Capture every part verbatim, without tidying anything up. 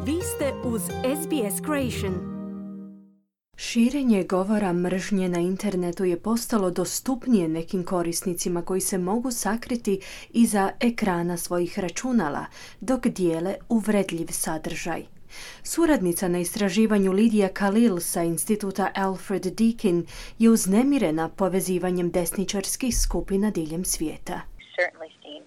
Vi ste uz S B S Creation. Širenje govora mržnje na internetu je postalo dostupnije nekim korisnicima koji se mogu sakriti iza ekrana svojih računala dok dijele uvredljiv sadržaj. Suradnica na istraživanju Lidija Khalil sa instituta Alfred Deakin je uznemirena povezivanjem desničarskih skupina diljem svijeta. Certainly seen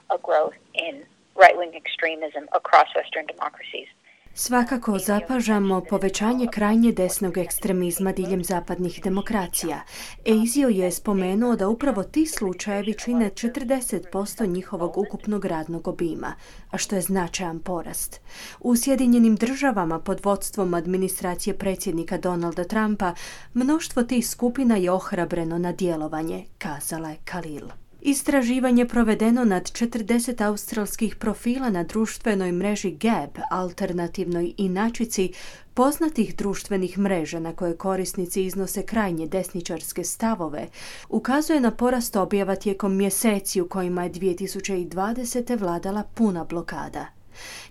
a growth in right-wing extremism across Western democracies. Svakako zapažamo povećanje krajnje desnog ekstremizma diljem zapadnih demokracija. Eizio je spomenuo da upravo ti slučajevi čine četrdeset posto njihovog ukupnog radnog obima, a što je značajan porast. U Sjedinjenim državama pod vodstvom administracije predsjednika Donalda Trumpa mnoštvo tih skupina je ohrabreno na djelovanje, kazala je Khalil. Istraživanje provedeno nad četrdeset australskih profila na društvenoj mreži Gab, alternativnoj inačici poznatih društvenih mreža na koje korisnici iznose krajnje desničarske stavove, ukazuje na porast objava tijekom mjeseci u kojima je dvije tisuće dvadesete vladala puna blokada.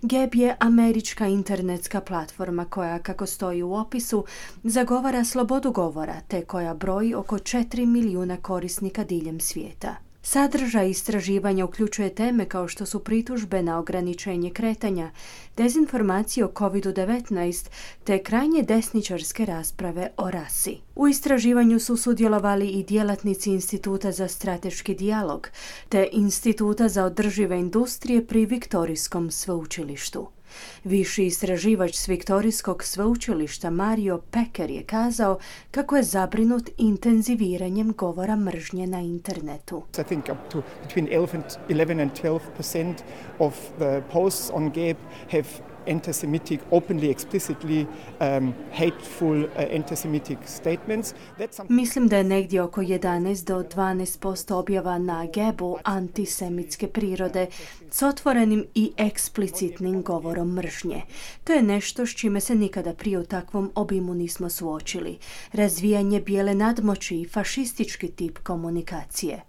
Gab je američka internetska platforma koja, kako stoji u opisu, zagovara slobodu govora te koja broji oko četiri milijuna korisnika diljem svijeta. Sadržaj istraživanja uključuje teme kao što su pritužbe na ograničenje kretanja, dezinformacije o kovid devetnaest te krajnje desničarske rasprave o rasi. U istraživanju su sudjelovali i djelatnici Instituta za strateški dijalog te Instituta za održive industrije pri Viktorijskom sveučilištu. Viši istraživač s Viktorijskog sveučilišta Mario Peker je kazao kako je zabrinut intenziviranjem govora mržnje na internetu. I think up to between eleven and twelve percent of the posts on Gab have anti-Semitic, openly, explicitly um, hateful uh, anti-Semitic statements. Mislim da je negdje oko jedanaest do dvanaest posto objava na Gabu antisemitske prirode s otvorenim i eksplicitnim govorom mržnje. To je nešto s čime se nikada prije u takvom obimu nismo suočili. Razvijanje bijele nadmoći i fašistički tip komunikacije.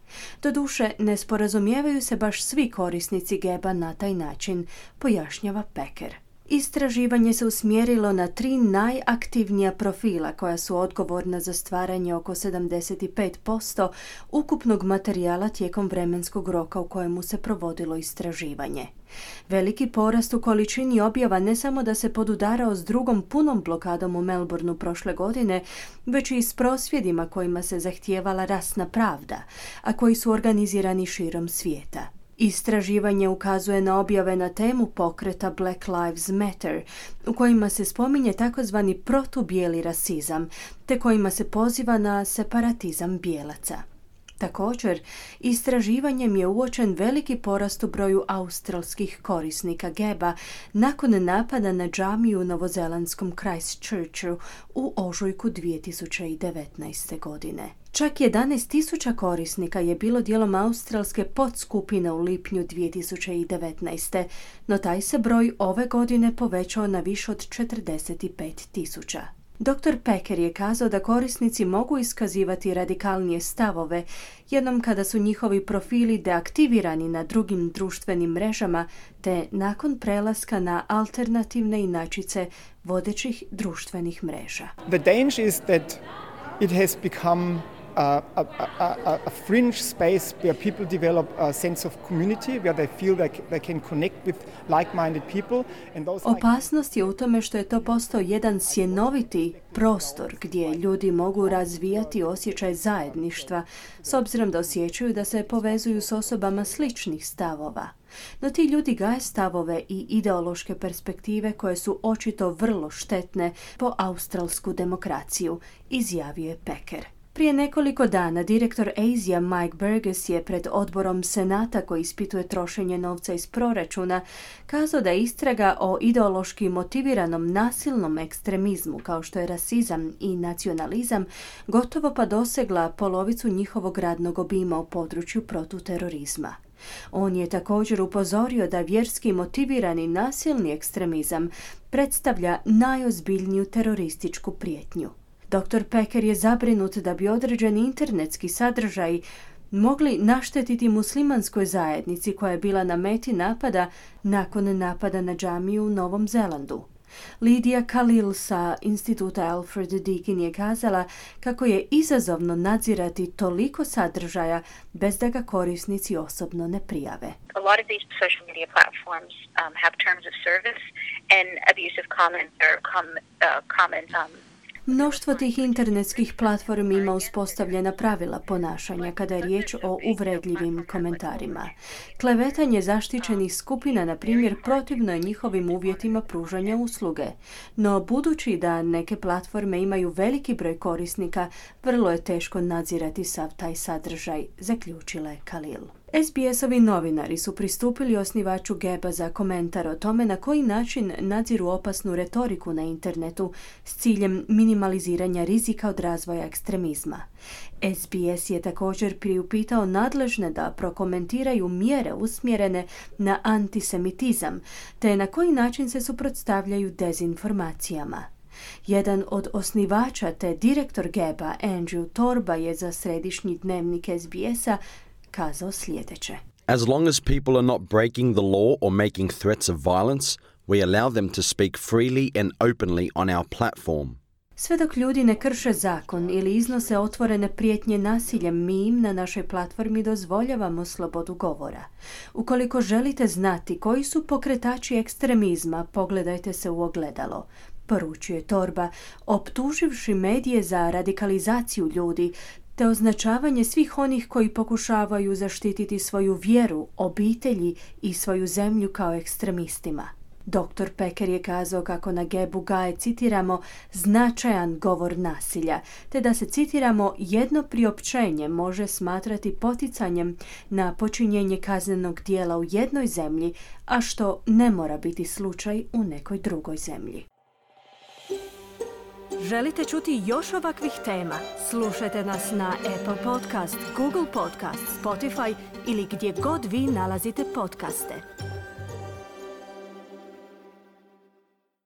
Doduše, ne sporazumijevaju se baš svi korisnici Gaba na taj način, pojašnjava Peker. Istraživanje se usmjerilo na tri najaktivnija profila koja su odgovorna za stvaranje oko sedamdeset pet posto ukupnog materijala tijekom vremenskog roka u kojemu se provodilo istraživanje. Veliki porast u količini objava ne samo da se podudarao s drugom punom blokadom u Melbourneu prošle godine, već i s prosvjedima kojima se zahtijevala rasna pravda, a koji su organizirani širom svijeta. Istraživanje ukazuje na objave na temu pokreta Black Lives Matter, u kojima se spominje takozvani protubijeli rasizam, te kojima se poziva na separatizam bijelaca. Također, istraživanjem je uočen veliki porast u broju australskih korisnika Gaba nakon napada na džamiju u novozelandskom Christchurchu u ožujku dvije tisuće devetnaeste. godine. Čak jedanaest tisuća korisnika je bilo dijelom australske podskupine u lipnju dvije tisuće devetnaeste. no taj se broj ove godine povećao na više od četrdeset pet tisuća. doktor Peker je kazao da korisnici mogu iskazivati radikalnije stavove jednom kada su njihovi profili deaktivirani na drugim društvenim mrežama te nakon prelaska na alternativne inačice vodećih društvenih mreža. The danger is that it has become A, a, a, a fringe space where people develop a sense of community, where they feel like they can connect with like-minded people. And those Opasnost je u tome što je to postao jedan sjenoviti prostor gdje ljudi mogu razvijati osjećaj zajedništva, s obzirom da osjećaju da se povezuju s osobama sličnih stavova. No ti ljudi gaje stavove i ideološke perspektive koje su očito vrlo štetne po australsku demokraciju, izjavio je Peker. Prije nekoliko dana direktor Eizija Mike Burgess je pred odborom Senata koji ispituje trošenje novca iz proračuna kazao da je istraga o ideološki motiviranom nasilnom ekstremizmu kao što je rasizam i nacionalizam gotovo pa dosegla polovicu njihovog radnog obima u području protuterorizma. On je također upozorio da vjerski motivirani nasilni ekstremizam predstavlja najozbiljniju terorističku prijetnju. doktor Peker je zabrinut da bi određeni internetski sadržaji mogli naštetiti muslimanskoj zajednici koja je bila na meti napada nakon napada na džamiju u Novom Zelandu. Lidija Khalil sa instituta Alfred Deakin je kazala kako je izazovno nadzirati toliko sadržaja bez da ga korisnici osobno ne prijave. A lot of these social media platforms um, have terms of service and abusive comments or com, uh, comments um, Mnoštvo tih internetskih platformi ima uspostavljena pravila ponašanja kada je riječ o uvredljivim komentarima. Klevetanje zaštićenih skupina, na primjer, protivno je njihovim uvjetima pružanja usluge. No, budući da neke platforme imaju veliki broj korisnika, vrlo je teško nadzirati sav taj sadržaj, zaključila je Khalil. S B S-ovi novinari su pristupili osnivaču Geba za komentar o tome na koji način nadziru opasnu retoriku na internetu s ciljem minimaliziranja rizika od razvoja ekstremizma. S B S je također priupitao nadležne da prokomentiraju mjere usmjerene na antisemitizam, te na koji način se suprotstavljaju dezinformacijama. Jedan od osnivača te direktor Geba, Andrew Torba, je za središnji dnevnik S B S-a kazao sljedeće. As long as people are not breaking the law or making threats of violence, we allow them to speak freely and openly on our platform. Sve dok ljudi ne krše zakon ili iznose otvorene prijetnje nasiljem, mi im na našoj platformi dozvoljavamo slobodu govora. Ukoliko želite znati koji su pokretači ekstremizma, pogledajte se u ogledalo, poručuje Torba, optuživši medije za radikalizaciju ljudi te označavanje svih onih koji pokušavaju zaštititi svoju vjeru, obitelji i svoju zemlju kao ekstremistima. doktor Peker je kazao kako na Gebu gaje, citiramo, značajan govor nasilja, te da se, citiramo, jedno priopćenje može smatrati poticanjem na počinjenje kaznenog djela u jednoj zemlji, a što ne mora biti slučaj u nekoj drugoj zemlji. Želite čuti još ovakvih tema? Slušajte nas na Apple Podcast, Google Podcast, Spotify ili gdje god vi nalazite podcaste.